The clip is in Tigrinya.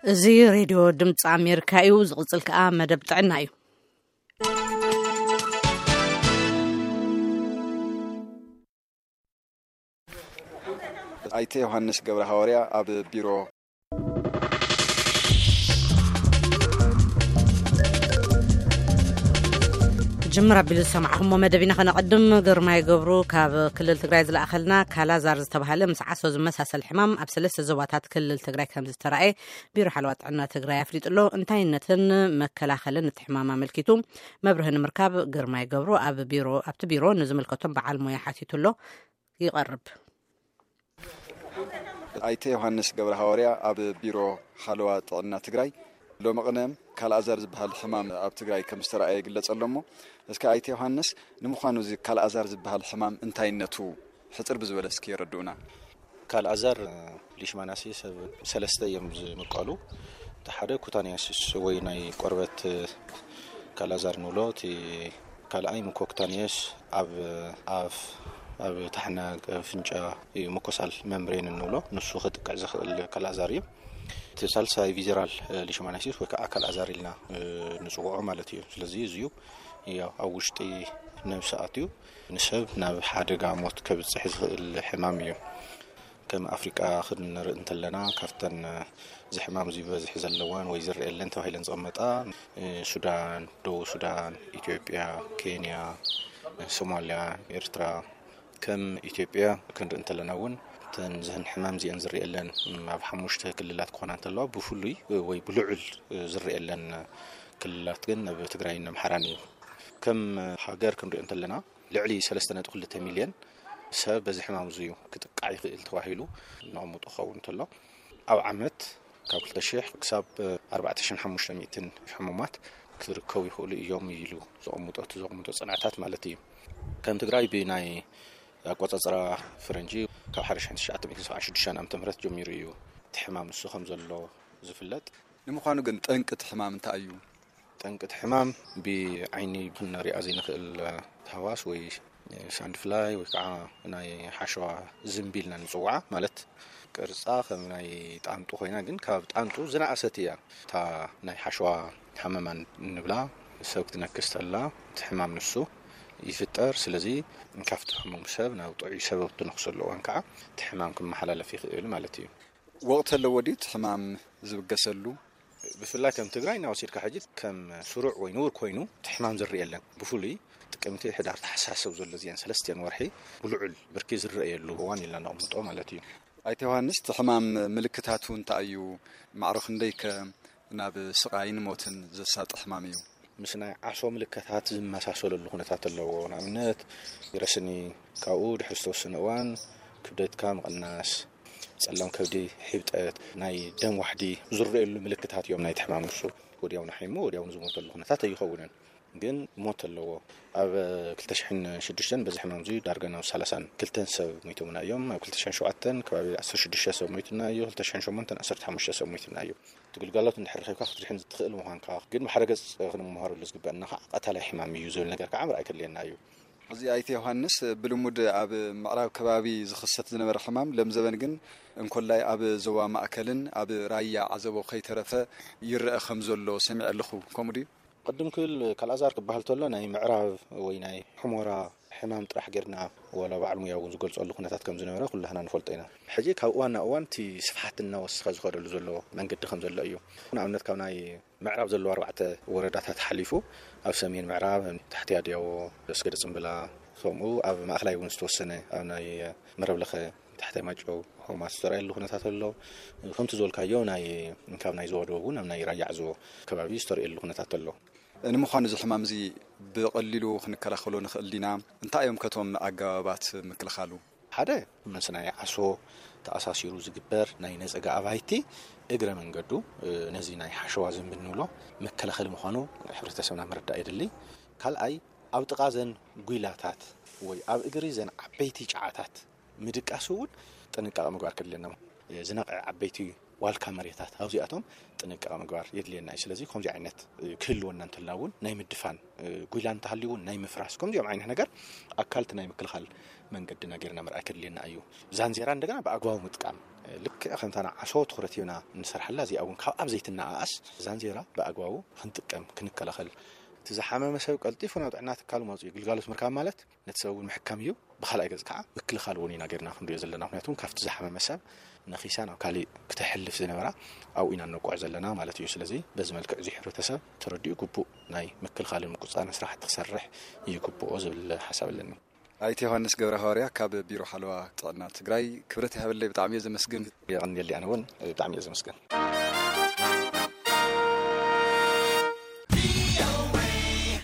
እዚ ሬድዮ ድምፂ ኣሜሪካ እዩ። ዝቕፅል ከኣ መደብ ጥዕና እዩ። ኣይተ ዮሃንስ ገብረ ሃዋርያ ኣብ ቢሮ። ጅምር ኣቢሉ ዝሰማዕኹሞ መደብ ኢና ከነቐድም። ግርማይ ገብሩ ካብ ክልል ትግራይ ዝለኣኸልና ካላዛር ዝተባህለ ምስ ዓሶ ዝመሳሰል ሕማም ኣብ ሰለስተ ዞባታት ክልል ትግራይ ከም ዝተራእየ ቢሮ ሓለዋ ጥዕና ትግራይ ኣፍሊጡ ኣሎ። እንታይነትን መከላኸልን እቲ ሕማም ኣመልኪቱ መብርሂ ንምርካብ ግርማይ ገብሩ ኣብ ቢሮ፣ ኣብቲ ቢሮ ንዝምልከቶም በዓል ሞያ ሓቲቱ ኣሎ። ይቐርብ። ኣይተ ዮሃንስ ገብረ ሃዋርያ ኣብ ቢሮ ሓለዋ ጥዕና ትግራይ። ሎሚ ቅነ ካልኣዛር ዝበሃል ሕማም ኣብ ትግራይ ከም ዝተረኣየ ይግለጽ ኣሎ እሞ፣ እስከ ኣይተ ዮሃንስ፣ ንምዃኑ እዚ ካልኣዛር ዝበሃል ሕማም እንታይነቱ ሕጽር ብዝበለ እስኪ የረድኡና። ካልኣዛር ሊሽማናሲ ሰብ ሰለስተ እዮም ዝምቀሉ። እቲ ሓደ ኩታንያሲስ ወይ ናይ ቆርበት ካልኣዛር ንብሎ፣ እቲ ካልኣይ ምኮክታንየስ ኣብ ኣፍ፣ ኣብ ታሕና ኣፍንጫ እዩ፣ ምኮሳል መምብሬን እንብሎ፣ ንሱ ከጥቅዕ ዝኽእል ካልኣዛር እዩ። እቲ ሳልሳይ ቪዘራል ሊሽማናሲስ ወይ ከዓ ካልኣዛር ኢልና ንፅውዖ ማለት እዩ። ስለዚ እዚ እዩ ያው ኣብ ውሽጢ ነብሲ ኣትዩ ንሰብ ናብ ሓደጋ ሞት ከብፅሕ ዝኽእል ሕማም እዩ። ከም ኣፍሪቃ ክንርኢ እንተለና፣ ካብተን እዚ ሕማም እዚ በዝሒ ዘለወን ወይ ዝረኣየለን ተባሂለን ዝቐመጣ፣ ሱዳን፣ ደቡብ ሱዳን፣ ኢትዮጵያ፣ ኬንያ፣ ሶማልያ፣ ኤርትራ። ከም ኢትዮጵያ ክንርኢ እንተለና እውን፣ እተን ዝህን ሕማም እዚአን ዝረኣየለን ኣብ ሓሙሽተ ክልላት ክኾና እንተለዋ፣ ብፍሉይ ወይ ብልዑል ዝረኣየለን ክልላት ግን ኣብ ትግራይን ኣምሓራን እዩ። ከም ሃገር ክንሪኦ እንተለና፣ ልዕሊ ሰለስተ ነጥቢ ክልተ ሚልዮን ሰብ በዚ ሕማም እዚ እዩ ክጥቃዕ ይኽእል ተባሂሉ ነቐምጦ ክኸውን እንተሎ፣ ኣብ ዓመት ካብ ክልተ ሺሕ ክሳብ ኣርባዕተ ሽሕን ሓሙሽተ ሚእትን ሕሙማት ክርከቡ ይኽእሉ እዮም ኢሉ ዘቐምጦ፣ እቲ ዘቐምጦ ጽንዕታት ማለት እዩ። ከም ትግራይ ብናይ ኣቆጻጽራ ፈረንጂ ካብ ሓደ ሽሕን ትሽዓተ ሚእትን ሰብዓን ሽዱሽተን ዓመተ ምህረት ጀሚሩ እዩ እቲ ሕማም ንሱ ከም ዘሎ ዝፍለጥ። ንምዃኑ ግን ጠንቂ እቲ ሕማም እንታይ እዩ? ጠንቂ እቲ ሕማም ብዓይኒ ክንሪኣ ዘይንኽእል ተህዋስ ወይ ሳንድ ፍላይ ወይ ከዓ ናይ ሓሸዋ ዝንቢ ኢልና ንፅውዓ፣ ማለት ቅርፃ ከም ናይ ጣንጡ ኮይና፣ ግን ካብ ጣንጡ ዝነኣሰት እያ። እታ ናይ ሓሸዋ ሃመማ ንብላ ሰብ ክትነክስ ተላ እቲ ሕማም ንሱ ይፍጠር። ስለዚ ካብቲ ሕሙም ሰብ ናብ ጥዑይ ሰብ ኣብ ትነኽሰሉ እዋን ከዓ እቲ ሕማም ክመሓላለፍ ይኽእል ማለት እዩ። ወቕቲ ኣለዎ ድዩ እቲ ሕማም ዝብገሰሉ? ብፍላይ ከም ትግራይ እናወሲድካ ሕጂ ከም ስሩዕ ወይ ንቡር ኮይኑ እቲ ሕማም ዝርአ የለን። ብፍሉይ ጥቅምቲ፣ ሕዳር፣ ታሕሳስ ኣብ ዘሎ እዚአን ሰለስቲአን ወርሒ ብልዑል ብርኪ ዝረአየሉ እዋን ኢልና ነቕምጦ ማለት እዩ። ኣይተ ዮሃንስ፣ እቲ ሕማም ምልክታቱ እንታይ እዩ? ማዕረ ክንደይከ ናብ ስቓይን ሞትን ዘሳጢ ሕማም እዩ? ምስ ናይ ዓሶ ምልክታት ዝመሳሰለሉ ኩነታት ኣለዎ። ንኣብነት ረስኒ፣ ካብኡ ድሕሪ ዝተወሰነ እዋን ክብደትካ ምቕናስ፣ ጸላም ከብዲ፣ ሒብጠት፣ ናይ ደም ዋሕዲ ዝረኣየሉ ምልክታት እዮም ናይቲ ሕማም ንሱ። ወዲያው ንሓይሙ ወዲያው ንዝሞተሉ ኩነታት ኣይኸውንን። ግን ሞት ኣለዎ። ኣብ ክልተ ሽሕን ሽዱሽተን በዚ ሕማም እዚ ዳርጋ ናብ ሰላሳን ክልተን ሰብ ሞይቶምና እዮም። ኣብ ክልተ ሽሕን ሸውዓተን ከባቢ ዓሰርተ ሽዱሽተ ሰብ ሞይቱና እዩ። ክልተ ሽሕን ሸሞንተን ዓሰርተ ሓሙሽተ ሰብ ሞይቱና እዩ። እቲ ግልጋሎት እንድሕር ረኺብካ ክትድሕን ትኽእል ምዃንካ፣ ግን ብሓደ ገጽ ክንመሃረሉ ዝግበአና ከዓ ቀታላይ ሕማም እዩ ዝብል ነገር ከዓ ምርኣይ ከድልየና እዩ። እዚ ኣይተ ዮሃንስ፣ ብልሙድ ኣብ ምዕራብ ከባቢ ዝኽሰት ዝነበረ ሕማም ለምዘበን ግን እንኮላይ ኣብ ዞባ ማእከልን ኣብ ራያ ዓዘቦ ከይተረፈ ይረአ ከም ዘሎ ሰሚዐ ኣለኹ። ከምኡ ድዩ? ቅድም ክብል ካልኣዛር ክበሃል ተሎ ናይ ምዕራብ ወይ ናይ ሕሞራ ሕማም ጥራሕ ጌርና፣ ወላ በዓል ሙያ እውን ዝገልጸሉ ኩነታት ከም ዝነበረ ኩላህና ንፈልጦ ኢና። ሕጂ ካብ እዋን ናብ እዋን እቲ ስፍሓት እናወሰኸ ዝኸደሉ ዘሎ መንገዲ ከም ዘሎ እዩ። ንኣብነት ካብ ናይ ምዕራብ ዘለዉ ኣርባዕተ ወረዳታት ሓሊፉ ኣብ ሰሜን ምዕራብ ታሕቲ ኣድያቦ፣ እስገደ ጽምብላ፣ ከምኡ ኣብ ማእከላይ እውን ዝተወሰነ ኣብ ናይ መረብ ለኸ ታሕታይ ማይጨው ሆማት ዝተረኣየሉ ኩነታት ኣሎ። ከምቲ ዝበልካዮ ናይ ካብ ናይ ዞባ ደቡብ እውን ኣብ ናይ ራያ ዓዘቦ ከባቢ ዝተረኣየሉ ኩነታት ኣሎ። ንምዃኑ እዚ ሕማም እዚ ብቐሊሉ ክንከላኸሎ ንኽእል ዲና? እንታይ እዮም ከቶም ኣገባባት ምክልኻሉ? ሓደ፣ ምስ ናይ ዓሶ ተኣሳሲሩ ዝግበር ናይ ነጸጋ ኣባይቲ እግረ መንገዱ፣ እ፣ ነዚ ናይ ሓሸዋ ዝንቢ እንብሎ መከላኸሊ ምዃኑ ሕብረተሰብና ምርዳእ የድሊ። ካልኣይ፣ ኣብ ጥቓ ዘን ጒላታት ወይ ኣብ እግሪ ዘን ዓበይቲ ጨዓታት ምድቃስ እውን ጥንቃቐ ምግባር ከድልየና። ዝነቕዐ ዓበይቲ ዋልካ መሬታት ኣብዚኣቶም ጥንቃቐ ምግባር የድልየና እዩ። ስለዚ ከምዚ ዓይነት ክህልወና እንተልና እውን ናይ ምድፋን ጒላ እንተሃልዩ እውን ናይ ምፍራስ ከምዚኦም ዓይነት ነገር ኣካልቲ ናይ ምክልኻል መንገድና ጌርና ምርኣይ ከድልየና እዩ። ዛንዜራ እንደገና ብኣግባቡ ምጥቃም፣ ልክዕ ከምታ ንዓሶ ትኹረት ሂብና ንሰርሓላ፣ እዚኣ እውን ካብ ኣብ ዘይትነኣኣስ ዛንዜራ ብኣግባቡ ክንጥቀም ክንከላኸል፣ እቲ ዝሓመመ ሰብ ቀልጢፉ ናብ ጥዕና ትካል መፂኡ ግልጋሎት ምርካብ ማለት ነቲ ሰብ እውን ምሕካም እዩ። ብካልኣይ ገፅ ከዓ ምክልኻል እውን ኢና ገርና ክንሪኦ ዘለና። ምክንያቱ ካብቲ ዝሓመመ ሰብ ነኺሳ ናብ ካሊእ ክተሕልፍ ዝነበራ ኣብኡ ኢና ነቆዕ ዘለና ማለት እዩ። ስለዚ በዚ መልክዕ እዚ ሕብረተሰብ ተረዲኡ ግቡእ ናይ ምክልኻልን ምቁፅፃርን ስራሕቲ ክሰርሕ ይግብኦ ዝብል ሓሳብ ኣለኒ። ኣይተ ዮሃንስ ገብረ ሃዋርያ ካብ ቢሮ ሓለዋ ጥዕና ትግራይ፣ ክብረት ይሃበለይ፣ ብጣዕሚ እየ ዘመስግን። የቐንየሊ፣ ኣነ እውን ብጣዕሚ እየ ዘመስግን።